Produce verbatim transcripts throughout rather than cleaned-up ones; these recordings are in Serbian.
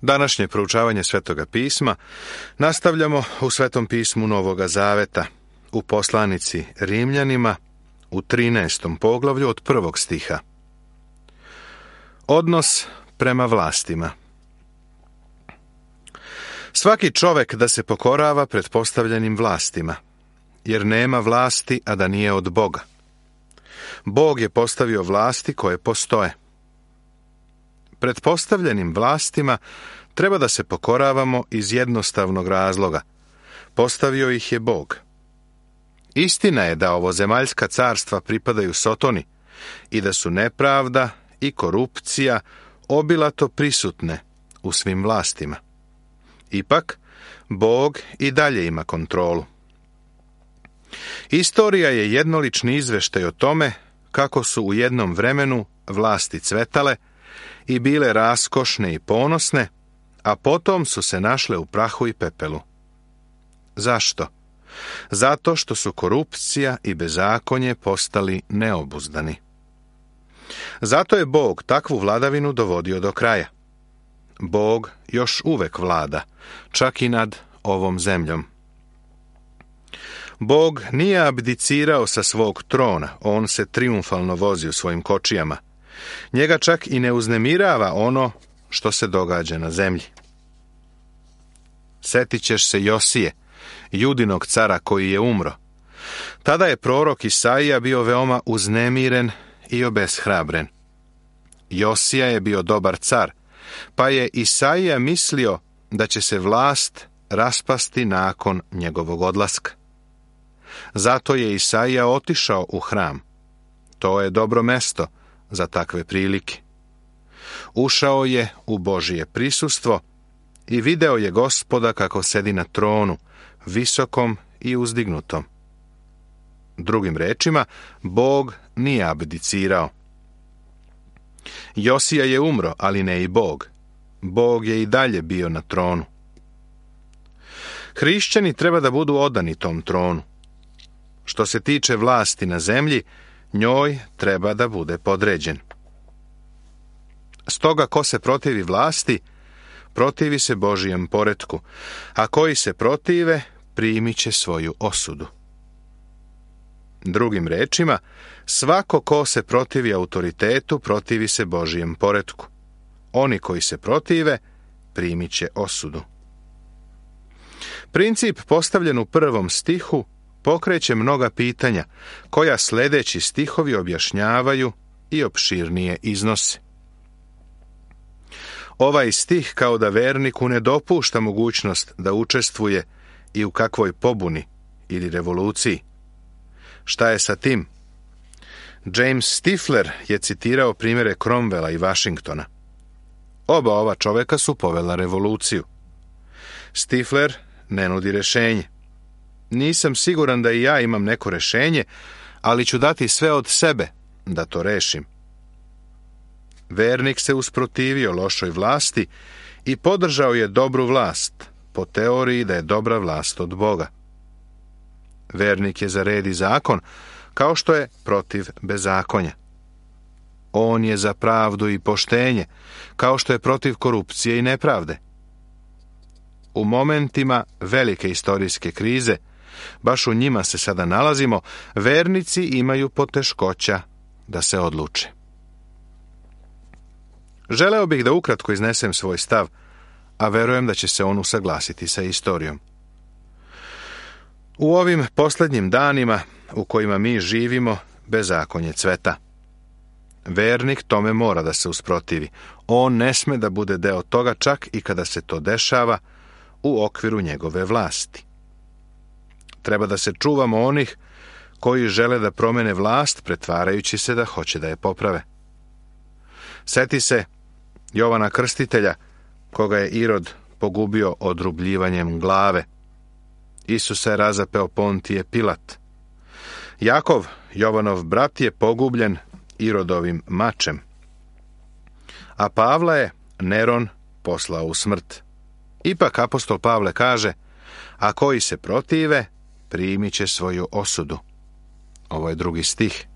Današnje proučavanje Svetoga pisma nastavljamo u Svetom pismu Novoga Zaveta, u poslanici Rimljanima, u trinaestom poglavlju od prvog stiha. Odnos prema vlastima. Svaki čovek da se pokorava pred postavljenim vlastima, jer nema vlasti, a da nije od Boga. Bog je postavio vlasti koje postoje. Pred postavljenim vlastima treba da se pokoravamo iz jednostavnog razloga. Postavio ih je Bog. Istina je da ovozemaljska carstva pripadaju Sotoni i da su nepravda i korupcija obilato prisutne u svim vlastima. Ipak, Bog i dalje ima kontrolu. Istorija je jednolični izveštaj o tome kako su u jednom vremenu vlasti cvetale i bile raskošne i ponosne, a potom su se našle u prahu i pepelu. Zašto? Zato što su korupcija i bezakonje postali neobuzdani. Zato je Bog takvu vladavinu dovodio do kraja. Bog još uvek vlada, čak i nad ovom zemljom. Bog nije abdicirao sa svog trona, on se trijumfalno vozi u svojim kočijama. Njega čak i ne uznemirava ono što se događa na zemlji. Setit ćeš se Josije, Judinog cara koji je umro. Tada je prorok Isaija bio veoma uznemiren i obeshrabren. Josija je bio dobar car, pa je Isaija mislio da će se vlast raspasti nakon njegovog odlaska. Zato je Isaija otišao u hram. To je dobro mesto za takve prilike. Ušao je u Božije prisustvo i video je Gospoda kako sedi na tronu, visokom i uzdignutom. Drugim rečima, Bog nije abdicirao. Josija je umro, ali ne i Bog. Bog je i dalje bio na tronu. Hrišćani treba da budu odani tom tronu. Što se tiče vlasti na zemlji, njoj treba da bude podređen. Stoga ko se protivi vlasti, protivi se Božijem poretku, a koji se protive, primit će svoju osudu. Drugim rečima, svako ko se protivi autoritetu, protivi se Božijem poretku. Oni koji se protive, primit će osudu. Princip postavljen u prvom stihu pokreće mnoga pitanja, koja sljedeći stihovi objašnjavaju i opširnije iznose. Ovaj stih kao da verniku ne dopušta mogućnost da učestvuje i u kakvoj pobuni ili revoluciji. Šta je sa tim? James Stifler je citirao primjere Cromwella i Washingtona. Oba ova čoveka su povela revoluciju. Stifler ne nudi rešenje. Nisam siguran da i ja imam neko rešenje, ali ću dati sve od sebe da to rešim. Vernik se usprotivio lošoj vlasti i podržao je dobru vlast, po teoriji da je dobra vlast od Boga. Vernik je za red i zakon, kao što je protiv bezakonja. On je za pravdu i poštenje, kao što je protiv korupcije i nepravde. U momentima velike istorijske krize, baš u njima se sada nalazimo, vernici imaju poteškoća da se odluče. Želeo bih da ukratko iznesem svoj stav, a verujem da će se on usaglasiti sa istorijom. U ovim posljednjim danima u kojima mi živimo, bezakonje cveta. Vernik tome mora da se usprotivi. On ne sme da bude deo toga čak i kada se to dešava u okviru njegove vlasti. Treba da se čuvamo onih koji žele da promene vlast, pretvarajući se da hoće da je poprave. Seti se Jovana Krstitelja, koga je Irod pogubio odrubljivanjem glave. Isusa je razapeo Pontije Pilat. Jakov, Jovanov brat, je pogubljen Irodovim mačem. A Pavla je Neron poslao u smrt. Ipak apostol Pavle kaže, a koji se protive, primit će svoju osudu. Ovo je drugi stih.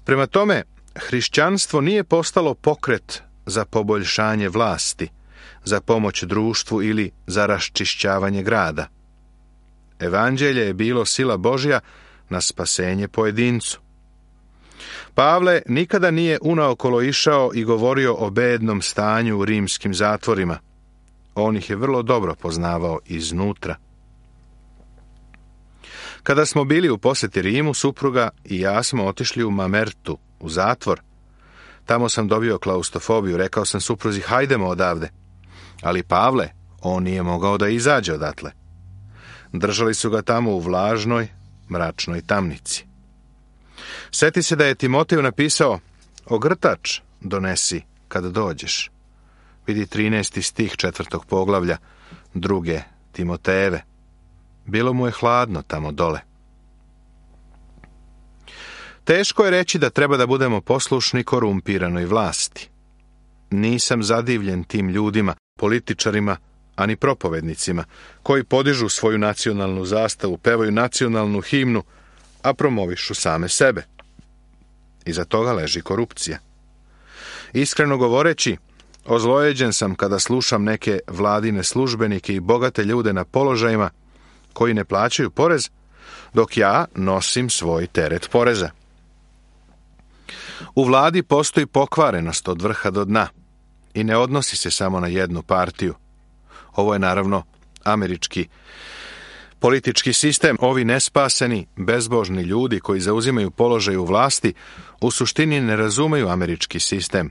Prema tome, hrišćanstvo nije postalo pokret za poboljšanje vlasti, za pomoć društvu ili za raščišćavanje grada. Evanđelje je bilo sila Božja na spasenje pojedincu. Pavle nikada nije unaokolo išao i govorio o bednom stanju u rimskim zatvorima. On ih je vrlo dobro poznavao iznutra. Kada smo bili u posjeti Rimu, supruga i ja smo otišli u Mamertu, u zatvor. Tamo sam dobio klaustrofobiju, rekao sam supruzi, hajdemo odavde. Ali Pavle, on nije mogao da izađe odatle. Držali su ga tamo u vlažnoj, mračnoj tamnici. Sjeti se da je Timoteju napisao, ogrtač donesi kad dođeš. Vidi trinaesti stih četvrtog poglavlja, druge Timotejeve. Bilo mu je hladno tamo dole. Teško je reći da treba da budemo poslušni korumpiranoj vlasti. Nisam zadivljen tim ljudima, političarima, ani propovednicima, koji podižu svoju nacionalnu zastavu, pevaju nacionalnu himnu, a promovišu same sebe. Iza toga leži korupcija. Iskreno govoreći, ozlojeđen sam kada slušam neke vladine službenike i bogate ljude na položajima koji ne plaćaju porez, dok ja nosim svoj teret poreza. U vladi postoji pokvarenost od vrha do dna i ne odnosi se samo na jednu partiju. Ovo je naravno američki politički sistem. Ovi nespaseni, bezbožni ljudi koji zauzimaju položaj u vlasti u suštini ne razumeju američki sistem.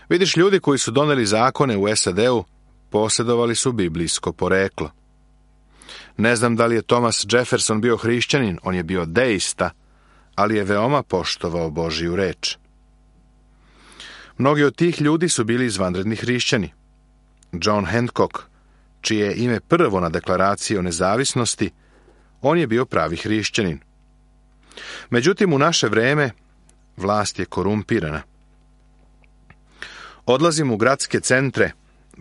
Vidiš, ljudi koji su doneli zakone u S A D-u posjedovali su biblijsko poreklo. Ne znam da li je Thomas Jefferson bio hrišćanin, on je bio deista, ali je veoma poštovao Božiju reč. Mnogi od tih ljudi su bili izvanredni hrišćani. John Hancock, čije je ime prvo na deklaraciji o nezavisnosti, on je bio pravi hrišćanin. Međutim, u naše vreme vlast je korumpirana. Odlazim u gradske centre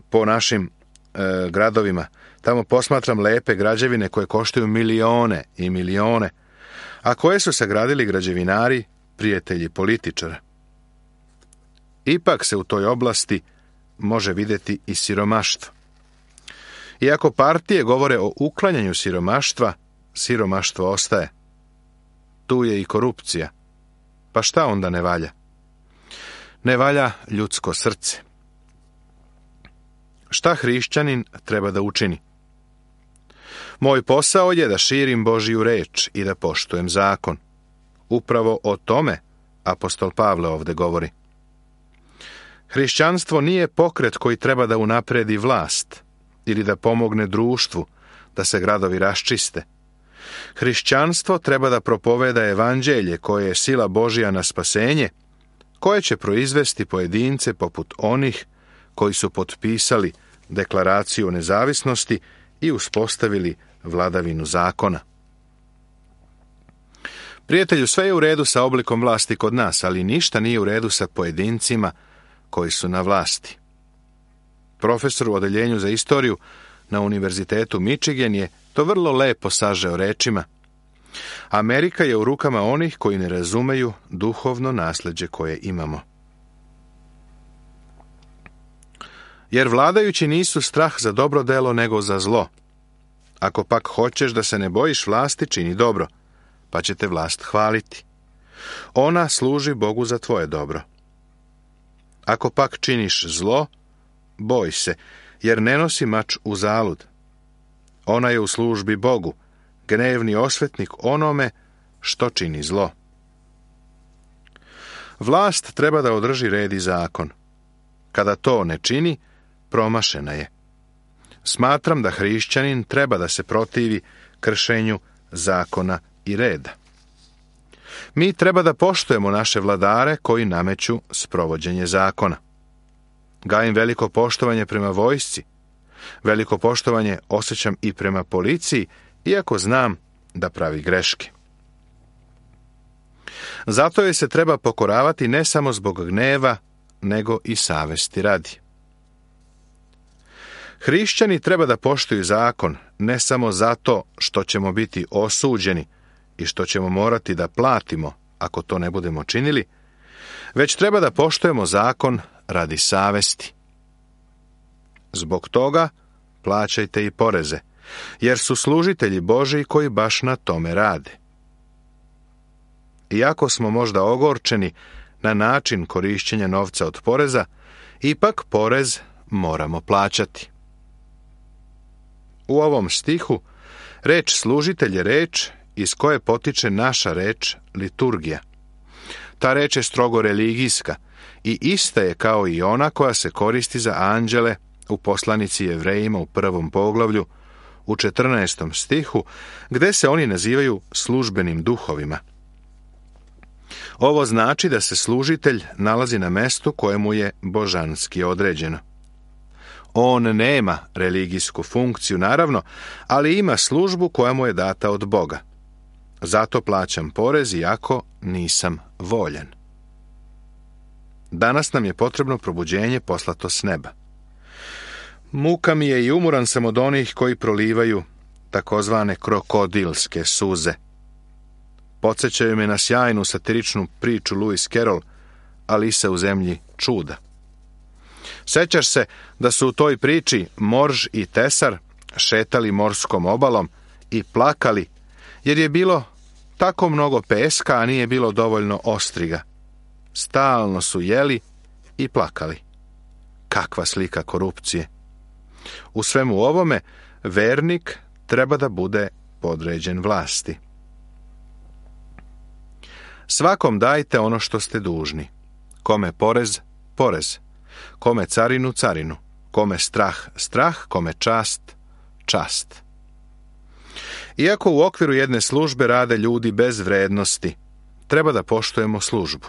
po našim e, gradovima. Tamo posmatram lepe građevine koje koštaju milione i milione, a koje su sagradili građevinari, prijatelji političara. Ipak se u toj oblasti može vidjeti i siromaštvo. Iako partije govore o uklanjanju siromaštva, siromaštvo ostaje. Tu je i korupcija. Pa šta onda ne valja? Ne valja ljudsko srce. Šta hrišćanin treba da učini? Moj posao je da širim Božiju reč i da poštujem zakon. Upravo o tome apostol Pavle ovdje govori. Hrišćanstvo nije pokret koji treba da unapredi vlast ili da pomogne društvu da se gradovi raščiste. Hrišćanstvo treba da propoveda evanđelje koje je sila Božja na spasenje, koje će proizvesti pojedince poput onih koji su potpisali deklaraciju o nezavisnosti i uspostavili vladavinu zakona. Prijatelju, sve je u redu sa oblikom vlasti kod nas, ali ništa nije u redu sa pojedincima koji su na vlasti. Profesor u odeljenju za istoriju na Univerzitetu Michigan je to vrlo lepo sažeo rečima. Amerika je u rukama onih koji ne razumeju duhovno nasljeđe koje imamo. Jer vladajući nisu strah za dobro delo nego za zlo. Ako pak hoćeš da se ne bojiš vlasti, čini dobro, pa će te vlast hvaliti. Ona služi Bogu za tvoje dobro. Ako pak činiš zlo, boj se, jer ne nosi mač uzalud. Ona je u službi Bogu, gnevni osvetnik onome što čini zlo. Vlast treba da održi red i zakon. Kada to ne čini, promašena je. Smatram da hrišćanin treba da se protivi kršenju zakona i reda. Mi treba da poštujemo naše vladare koji nameću sprovođenje zakona. Gajim veliko poštovanje prema vojsci. Veliko poštovanje osjećam i prema policiji, iako znam da pravi greške. Zato je se treba pokoravati ne samo zbog gneva, nego i savesti radi. Hrišćani treba da poštuju zakon ne samo zato što ćemo biti osuđeni i što ćemo morati da platimo ako to ne budemo činili, već treba da poštujemo zakon radi savesti. Zbog toga plaćajte i poreze, jer su služitelji Božji koji baš na tome rade. Iako smo možda ogorčeni na način korišćenja novca od poreza, ipak porez moramo plaćati. U ovom stihu reč služitelj je reč iz koje potiče naša reč liturgija. Ta reč je strogo religijska i ista je kao i ona koja se koristi za anđele u poslanici Jevrejima u prvom poglavlju, u četrnaestom stihu, gde se oni nazivaju službenim duhovima. Ovo znači da se služitelj nalazi na mestu kojemu je božanski određeno. On nema religijsku funkciju, naravno, ali ima službu koja mu je data od Boga. Zato plaćam porez iako nisam voljan. Danas nam je potrebno probuđenje poslato s neba. Muka mi je i umoran sam od onih koji prolivaju takozvane krokodilske suze. Podsjećaju me na sjajnu satiričnu priču Lewis Carroll, Alisa u zemlji čuda. Sećaš se da su u toj priči Morž i Tesar šetali morskom obalom i plakali, jer je bilo tako mnogo peska, a nije bilo dovoljno ostriga. Stalno su jeli i plakali. Kakva slika korupcije! U svemu ovome, vernik treba da bude podređen vlasti. Svakom dajte ono što ste dužni. Kome porez, porez. Kome carinu, carinu. Kome strah, strah. Kome čast, čast. Iako u okviru jedne službe rade ljudi bez vrednosti, treba da poštujemo službu.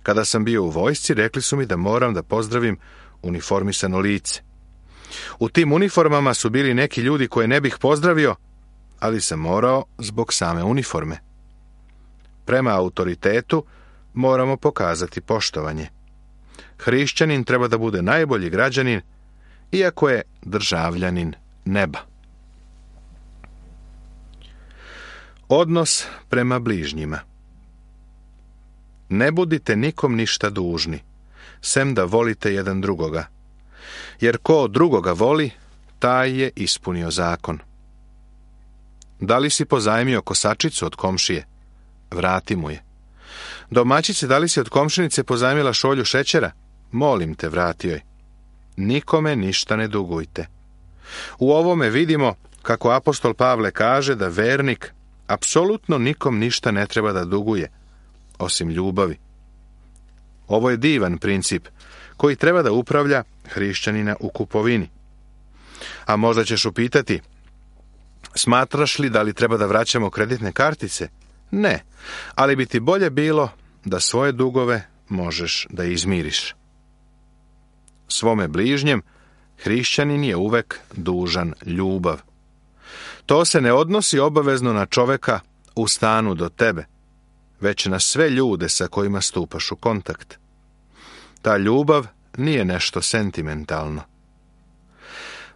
Kada sam bio u vojsci, rekli su mi da moram da pozdravim uniformisano lice. U tim uniformama su bili neki ljudi koje ne bih pozdravio, ali sam morao zbog same uniforme. Prema autoritetu moramo pokazati poštovanje. Hrišćanin treba da bude najbolji građanin, iako je državljanin neba. Odnos prema bližnjima. Ne budite nikom ništa dužni, sem da volite jedan drugoga. Jer ko drugoga voli, taj je ispunio zakon. Da li si pozajmio kosačicu od komšije? Vrati mu je. Domaćice, da li si od komšinice pozajmila šolju šećera? Molim te, vrati joj. Nikome ništa ne dugujte. U ovome vidimo kako apostol Pavle kaže da vernik apsolutno nikom ništa ne treba da duguje, osim ljubavi. Ovo je divan princip koji treba da upravlja hrišćanina u kupovini. A možda ćeš upitati, smatraš li da li treba da vraćamo kreditne kartice? Ne, ali bi ti bolje bilo da svoje dugove možeš da izmiriš. Svome bližnjem hrišćanin je uvek dužan ljubav. To se ne odnosi obavezno na čoveka u stanu do tebe, već na sve ljude sa kojima stupaš u kontakt. Ta ljubav nije nešto sentimentalno.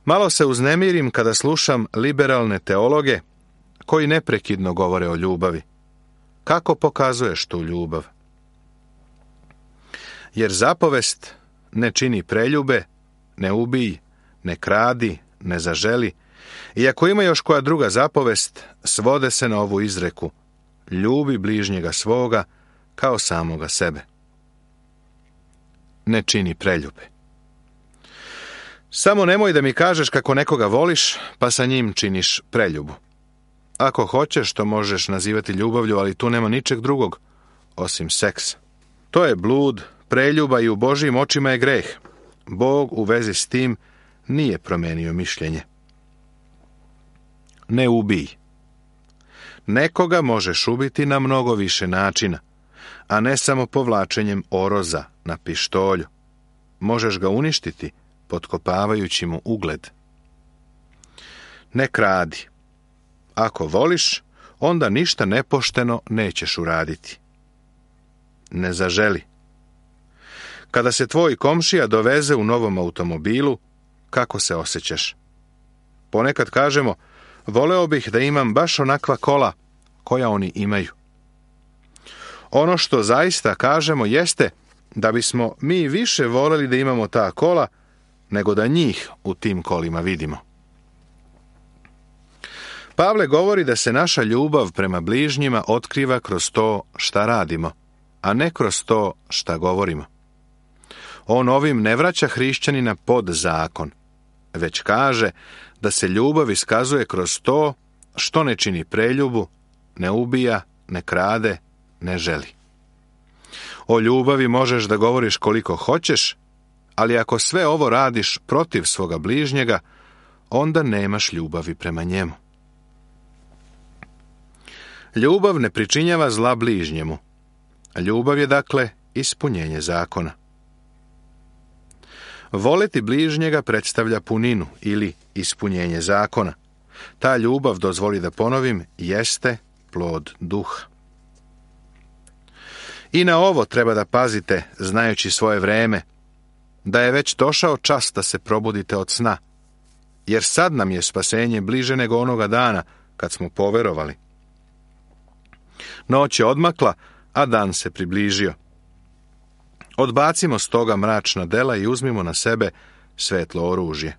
Malo se uznemirim kada slušam liberalne teologe koji neprekidno govore o ljubavi. Kako pokazuješ tu ljubav? Jer zapovest ne čini preljube, ne ubij, ne kradi, ne zaželi, i ako ima još koja druga zapovest, svode se na ovu izreku: ljubi bližnjega svoga kao samoga sebe. Ne čini preljube. Samo nemoj da mi kažeš kako nekoga voliš, pa sa njim činiš preljubu. Ako hoćeš, to možeš nazivati ljubavlju, ali tu nema ničeg drugog, osim seksa. To je blud, preljuba i u Božjim očima je greh. Bog u vezi s tim nije promenio mišljenje. Ne ubij. Nekoga možeš ubiti na mnogo više načina, a ne samo povlačenjem oroza na pištolju. Možeš ga uništiti potkopavajući mu ugled. Ne kradi. Ako voliš, onda ništa nepošteno nećeš uraditi. Ne zaželi. Kada se tvoj komšija doveze u novom automobilu, kako se osjećaš? Ponekad kažemo, voleo bih da imam baš onakva kola koja oni imaju. Ono što zaista kažemo jeste da bismo mi više voleli da imamo ta kola nego da njih u tim kolima vidimo. Pavle govori da se naša ljubav prema bližnjima otkriva kroz to šta radimo, a ne kroz to šta govorimo. On ovim ne vraća hrišćanina pod zakon, već kaže da se ljubav iskazuje kroz to što ne čini preljubu, ne ubija, ne krade, ne želi. O ljubavi možeš da govoriš koliko hoćeš, ali ako sve ovo radiš protiv svoga bližnjega, onda nemaš ljubavi prema njemu. Ljubav ne pričinjava zla bližnjemu. Ljubav je, dakle, ispunjenje zakona. Voleti bližnjega predstavlja puninu ili ispunjenje zakona. Ta ljubav, dozvoli da ponovim, jeste plod duha. I na ovo treba da pazite, znajući svoje vreme, da je već došao čas da se probudite od sna, jer sad nam je spasenje bliže nego onoga dana kad smo poverovali. Noć je odmakla, a dan se približio. Odbacimo stoga mračna dela i uzmimo na sebe svetlo oružje.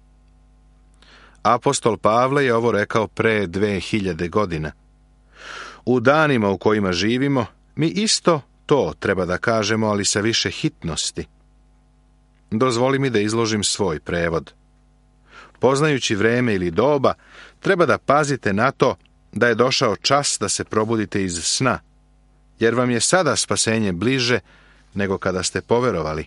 Apostol Pavle je ovo rekao pre dve hiljade godina. U danima u kojima živimo, mi isto to treba da kažemo, ali sa više hitnosti. Dozvoli mi da izložim svoj prevod. Poznajući vreme ili doba, treba da pazite na to da je došao čas da se probudite iz sna, jer vam je sada spasenje bliže nego kada ste poverovali.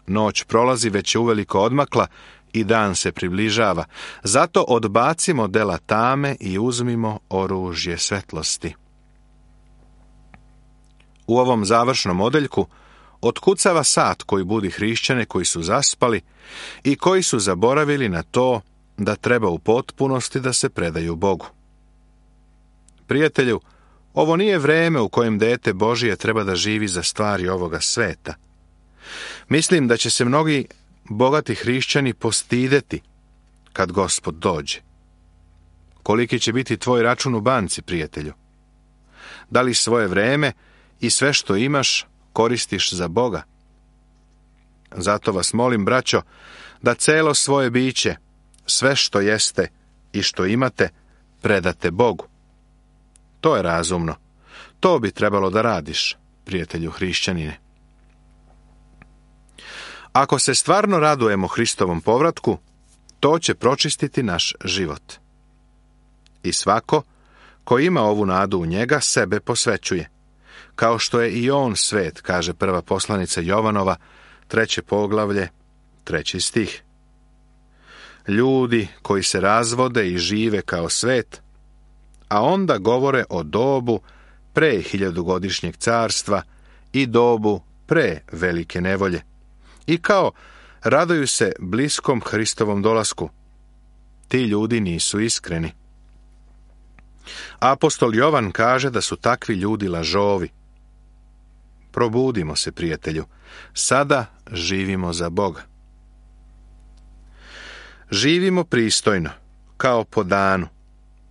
Noć prolazi, već je uveliko odmakla i dan se približava. Zato odbacimo dela tame i uzmimo oružje svetlosti. U ovom završnom odeljku otkucava sat koji budi hrišćane koji su zaspali i koji su zaboravili na to da treba u potpunosti da se predaju Bogu. Prijatelju, ovo nije vreme u kojem dete Božije treba da živi za stvari ovoga sveta. Mislim da će se mnogi bogati hrišćani postideti kad Gospod dođe. Koliki će biti tvoj račun u banci, prijatelju? Da li svoje vreme i sve što imaš koristiš za Boga? Zato vas molim, braćo, da celo svoje biće, sve što jeste i što imate, predate Bogu. To je razumno. To bi trebalo da radiš, prijatelju hrišćanine. Ako se stvarno radujemo Hristovom povratku, to će pročistiti naš život. I svako ko ima ovu nadu u njega, sebe posvećuje, kao što je i on svet, kaže prva poslanica Jovanova, treće poglavlje, treći stih. Ljudi koji se razvode i žive kao svet, a onda govore o dobu pre hiljadugodišnjeg carstva i dobu pre velike nevolje. I kao raduju se bliskom Hristovom dolasku. Ti ljudi nisu iskreni. Apostol Jovan kaže da su takvi ljudi lažovi. Probudimo se, prijatelju. Sada živimo za Boga. Živimo pristojno, kao po danu.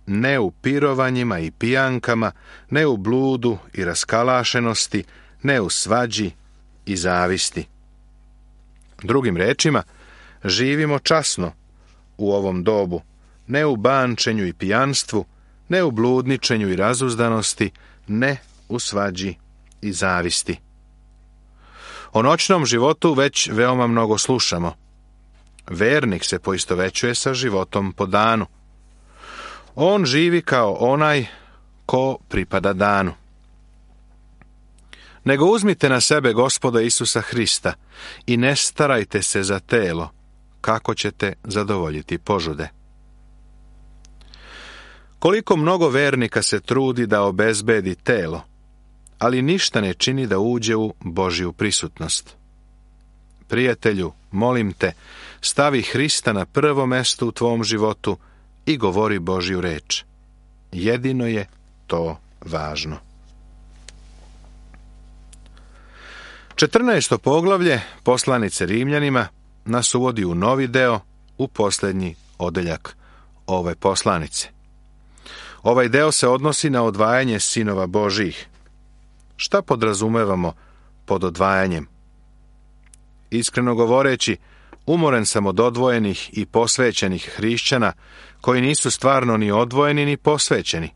Ne u pirovanjima i pijankama, ne u bludu i raskalašenosti, ne u svađi i zavisti. Drugim rečima, živimo časno u ovom dobu, ne u bančenju i pijanstvu, ne u bludničenju i razuzdanosti, ne u svađi i zavisti. O noćnom životu već veoma mnogo slušamo. Vernik se poistovećuje sa životom po danu. On živi kao onaj ko pripada danu. Nego uzmite na sebe Gospoda Isusa Hrista i ne starajte se za telo, kako ćete zadovoljiti požude. Koliko mnogo vernika se trudi da obezbedi telo, ali ništa ne čini da uđe u Božju prisutnost. Prijatelju, molim te, stavi Hrista na prvo mesto u tvom životu i govori Božju reč. Jedino je to važno. Četrnaesto poglavlje poslanice Rimljanima nas uvodi u novi deo, u posljednji odeljak ove poslanice. Ovaj deo se odnosi na odvajanje sinova Božjih. Šta podrazumevamo pod odvajanjem? Iskreno govoreći, Umoren sam od odvojenih i posvećenih hrišćana koji nisu stvarno ni odvojeni ni posvećeni.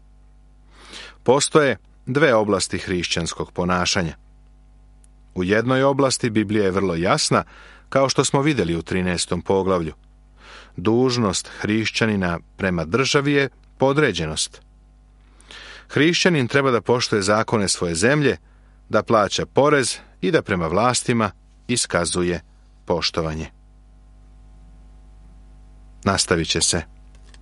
Postoje dve oblasti hrišćanskog ponašanja. U jednoj oblasti Biblija je vrlo jasna, kao što smo vidjeli u trinaestom poglavlju. Dužnost hrišćanina prema državi je podređenost. Hrišćanin treba da poštuje zakone svoje zemlje, da plaća porez i da prema vlastima iskazuje poštovanje. Nastavit će se.